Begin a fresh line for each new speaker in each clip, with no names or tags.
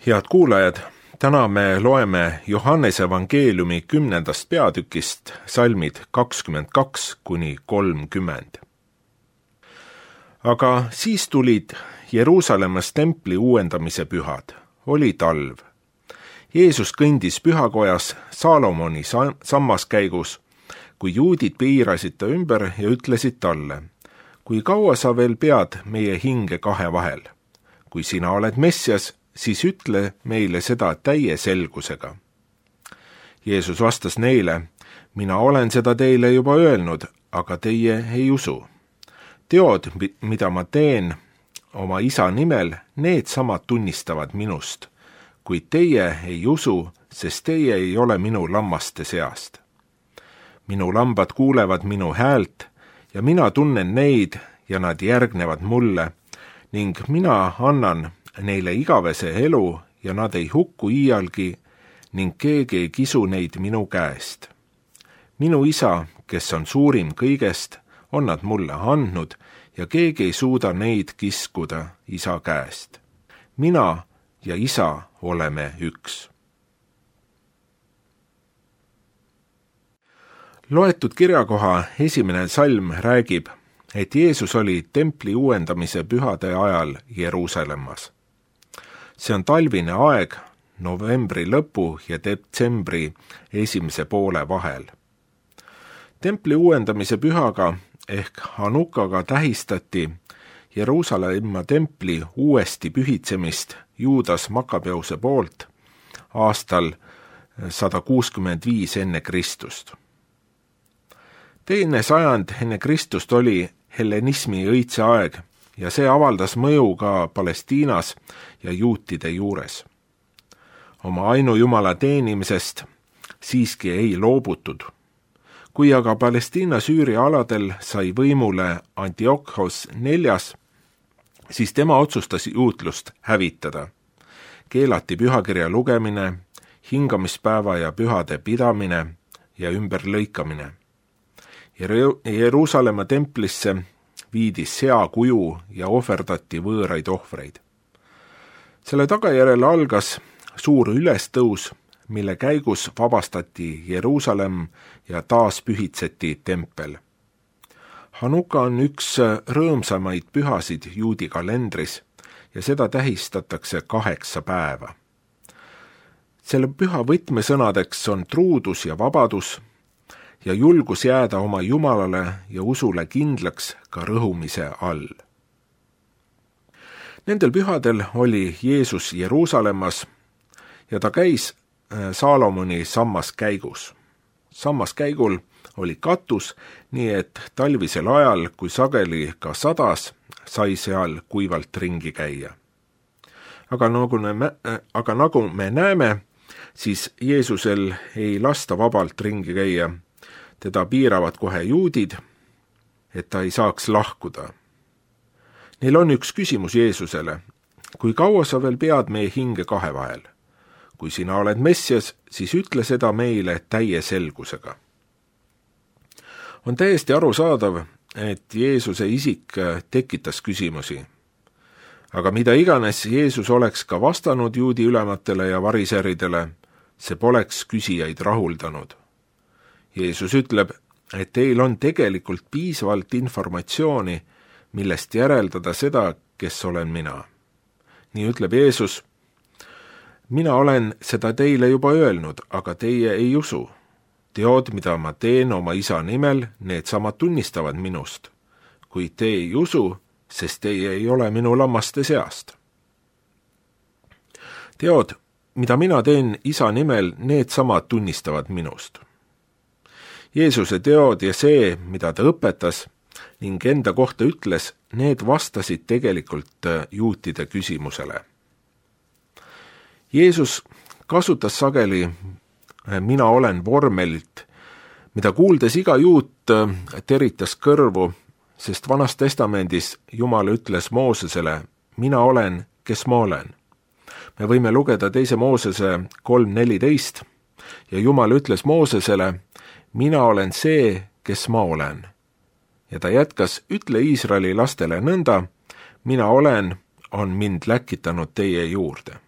Head kuulajad, täna me loeme Johannese evangeeliumi 10. peatükist salmid 22–30. Aga siis tulid Jeruusalemmas templi uuendamise pühad. Oli talv. Jeesus kõndis pühakojas Saalomoni sammaskäigus, kui juudid piirasid ta ümber ja ütlesid talle: kui kaua sa veel pead meie hinge kahe vahel? Kui sina oled Messias, siis ütle meile seda täie selgusega. Jeesus vastas neile: mina olen seda teile juba öelnud, aga teie ei usu. Teod, mida ma teen oma isa nimel, need samad tunnistavad minust, kuid teie ei usu, sest teie ei ole minu lammaste seast. Minu lambad kuulevad minu häält ja mina tunnen neid ja nad järgnevad mulle ning mina annan neile igavese elu ja nad ei hukku iialgi ning keegi ei kisu neid minu käest. Minu isa, kes on suurim kõigest, on nad mulle andnud ja keegi ei suuda neid kiskuda isa käest. Mina ja isa oleme üks. Loetud kirjakoha esimene salm räägib, et Jeesus oli templi uuendamise pühade ajal Jeruusalemmas. See on talvine aeg novembri lõpu ja detsembri esimese poole vahel. Templi uuendamise pühaga ehk Hanukaga tähistati Jeruusalemma templi uuesti pühitsemist Juudas Makabeuse poolt aastal 165 enne Kristust. Teine sajand enne Kristust oli hellenismi õitse aeg ja see avaldas mõju ka Palestiinas ja juutide juures. Oma ainujumala teenimisest siiski ei loobutud. Kui aga Palestiina-Süüria aladel sai võimule Antiochos IV, siis tema otsustas juutlust hävitada. Keelati pühakirja lugemine, hingamispäeva ja pühade pidamine ja ümberlõikamine. Jeruusalemma templisse viidi seakuju ja ohverdati võõraid ohvreid. Selle tagajärjel algas suur ülestõus, mille käigus vabastati Jeruusalemm ja taas pühitseti tempel. Hanuka on üks rõõmsamaid pühasid juudi kalendris ja seda tähistatakse 8 päeva. Selle püha võtmesõnadeks on truudus ja vabadus ja julgus jääda oma Jumalale ja usule kindlaks ka rõhumise all. Nendel pühadel oli Jeesus Jeruusalemmas ja ta käis Saalomoni sammaskäigus. Sammaskäigul oli katus, nii et talvisel ajal, kui sageli ka sadas, sai seal kuivalt ringi käia. Aga nagu me näeme, siis Jeesusel ei lasta vabalt ringi käia. Teda piiravad kohe juudid, et ta ei saaks lahkuda. Neil on üks küsimus Jeesusele: kui kaua sa veel pead meie hinge kahe vahel? Kui sina oled Messias, siis ütle seda meile täie selgusega. On täiesti arusaadav, et Jeesuse isik tekitas küsimusi. Aga mida iganes Jeesus oleks ka vastanud juudi ülematele ja variseridele, see poleks küsijaid rahuldanud. Jeesus ütleb, et teil on tegelikult piisavalt informatsiooni, millest järeldada seda, kes olen mina. Nii ütleb Jeesus: mina olen seda teile juba öelnud, aga teie ei usu. Teod, mida ma teen oma isa nimel, need samad tunnistavad minust. Kuid te ei usu, sest teie ei ole minu lammaste seast. Teod, mida mina teen isa nimel, need samad tunnistavad minust. Jeesuse teod ja see, mida ta õpetas ning enda kohta ütles, need vastasid tegelikult juutide küsimusele. Jeesus kasutas sageli mina olen vormelit, mida kuuldes iga juut teritas kõrvu, sest Vanas Testamendis Jumal ütles Moosesele: mina olen, kes ma olen. Me võime lugeda 2. Moosese 3:14 ja Jumal ütles Moosesele: mina olen see, kes ma olen. Ja ta jätkas: ütle Iisraeli lastele nõnda: mina olen, on mind läkitanud teie juurde.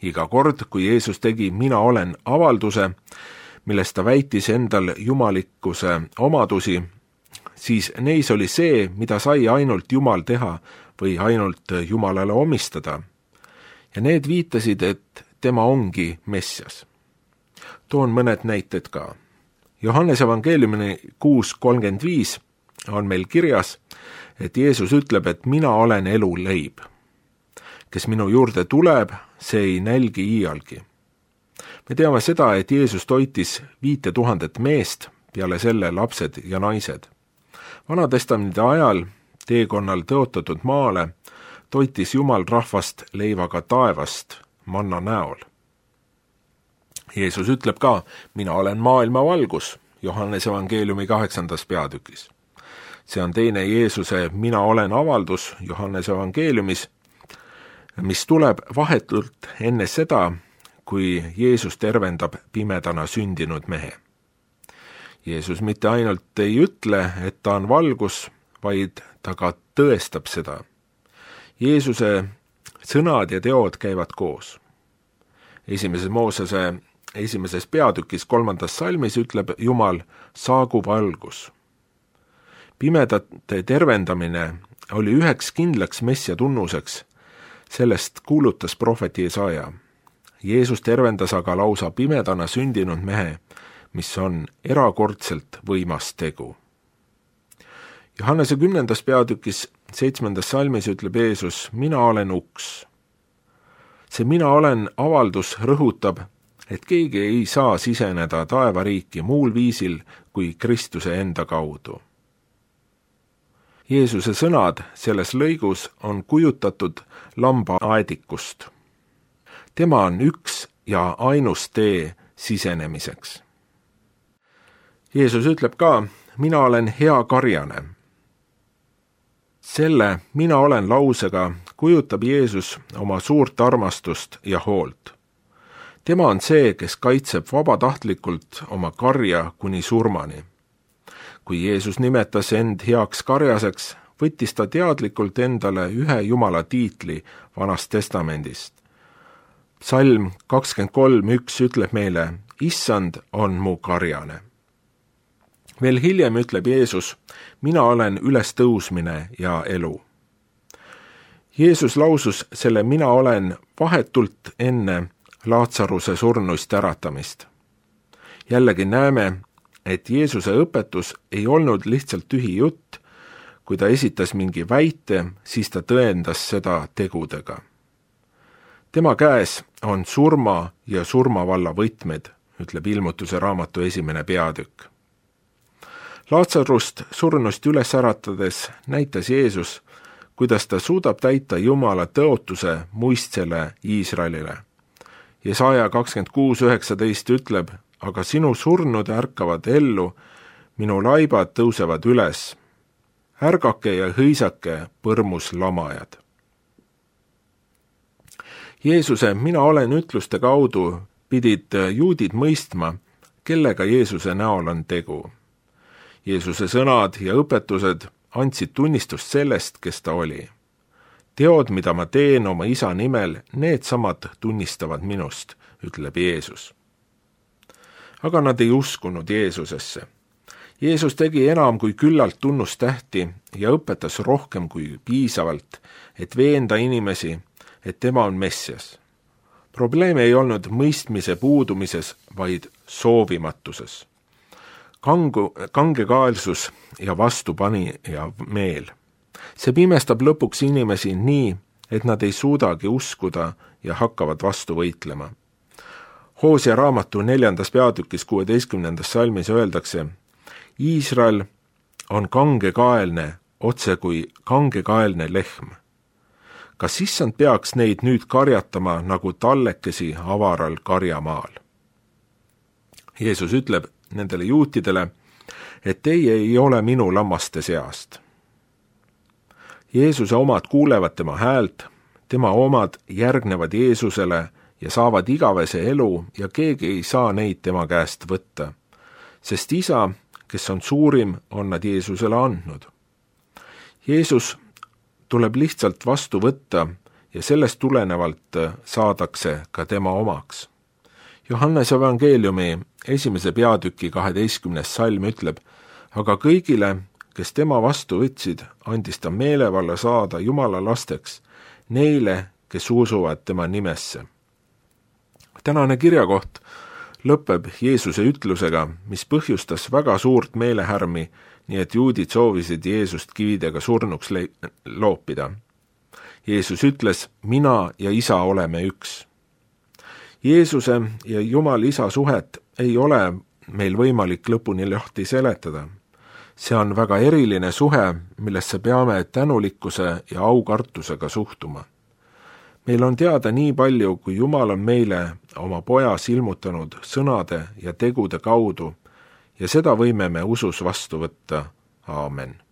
Iga kord, kui Jeesus tegi mina olen avalduse, milles ta väitis endal jumalikkuse omadusi, siis neis oli see, mida sai ainult Jumal teha või ainult Jumalale omistada. Ja need viitasid, et tema ongi Messias. Toon mõned näited ka. Johannese evangeeliumi 6:35 on meil kirjas, et Jeesus ütleb, et mina olen elu leib. Kes minu juurde tuleb, see ei nälgi iialgi. Me teame seda, et Jeesus toitis 5000 meest, peale selle lapsed ja naised. Vanatestamendi ajal teekonnal tõotatud maale toitis Jumal rahvast leivaga taevast manna näol. Jeesus ütleb ka, mina olen maailma valgus, Johannese evangeeliumi 8. peatükis. See on teine Jeesuse mina olen avaldus Johannese evangeeliumis, mis tuleb vahetult enne seda, kui Jeesus tervendab pimedana sündinud mehe. Jeesus mitte ainult ei ütle, et ta on valgus, vaid ta ka tõestab seda. Jeesuse sõnad ja teod käivad koos. Esimeses Moosese 1. peatükis 3. salmis ütleb Jumal, saagu valgus. Pimedate tervendamine oli üheks kindlaks messia tunnuseks, sellest kuulutas prohvet Jesaja. Jeesus tervendas aga lausa pimedana sündinud mehe, mis on erakordselt võimas tegu. Johannese 10. peatükis 7. salmis ütleb Jeesus, mina olen uks. See mina olen avaldus rõhutab, et keegi ei saa siseneda taevariiki muul viisil kui Kristuse enda kaudu. Jeesuse sõnad selles lõigus on kujutatud lambaaedikust. Tema on üks ja ainus tee sisenemiseks. Jeesus ütleb ka, mina olen hea karjane. Selle mina olen lausega kujutab Jeesus oma suurt armastust ja hoolt. Tema on see, kes kaitseb vabatahtlikult oma karja kuni surmani. Kui Jeesus nimetas end heaks karjaseks, võttis ta teadlikult endale ühe Jumala tiitli Vanast Testamendist. Psalm 23:1 ütleb meile, Issand on mu karjane. Veel hiljem ütleb Jeesus, mina olen ülestõusmine ja elu. Jeesus lausus selle mina olen vahetult enne Laatsaruse surnuist äratamist. Jällegi näeme, et Jeesuse õpetus ei olnud lihtsalt tühi jutt, kui ta esitas mingi väite, siis ta tõendas seda tegudega. Tema käes on surma ja surmavalla võtmed, ütleb Ilmutuse raamatu 1. peatükk. Laatsarust surnust üles äratades näitas Jeesus, kuidas ta suudab täita Jumala tõotuse muistsele Iisraelile. Jesaja 26:19 ütleb, aga sinu surnud ärkavad ellu, minu laibad tõusevad üles. Ärgake ja hõisake, põrmus lamajad. Jeesuse mina olen ütluste kaudu pidid juudid mõistma, kellega Jeesuse näol on tegu. Jeesuse sõnad ja õpetused andsid tunnistust sellest, kes ta oli. Teod, mida ma teen oma isa nimel, need samad tunnistavad minust, ütleb Jeesus. Aga nad ei uskunud Jeesusesse. Jeesus tegi enam kui küllalt tunnustähti ja õpetas rohkem kui piisavalt, et veenda inimesi, et tema on Messias. Probleem ei olnud mõistmise puudumises, vaid soovimatuses. Kangekaelsus ja vastupanija meel. See pimestab lõpuks inimesi nii, et nad ei suudagi uskuda ja hakkavad vastu võitlema. Hoosia raamatu 4. peatükis 16. salmis öeldakse, Iisrael on kangekaelne, otse kui kangekaelne lehm. Kas issand peaks neid nüüd karjatama nagu tallekesi avaral karjamaal? Jeesus ütleb nendele juutidele, et teie ei ole minu lammaste seast. Jeesuse omad kuulevad tema häält, tema omad järgnevad Jeesusele ja saavad igavese elu ja keegi ei saa neid tema käest võtta, sest isa, kes on suurim, on nad Jeesusele andnud. Jeesus tuleb lihtsalt vastu võtta ja sellest tulenevalt saadakse ka tema omaks. Johannese evangeeliumi 1. peatüki 12. salm ütleb, aga kõigile, kes tema vastu võtsid, andis ta meelevalla saada Jumala lasteks, neile, kes usuvad tema nimesse. Tänane kirjakoht lõpeb Jeesuse ütlusega, mis põhjustas väga suurt meelehärmi, nii et juudid soovisid Jeesust kividega surnuks loopida. Jeesus ütles, mina ja isa oleme üks. Jeesuse ja Jumala isa suhet ei ole meil võimalik lõpuni lahti seletada. See on väga eriline suhe, millesse peame tänulikkuse ja aukartusega suhtuma. Meil on teada nii palju, kui Jumal on meile oma pojas ilmutanud sõnade ja tegude kaudu ja seda võime me usus vastu võtta. Aamen.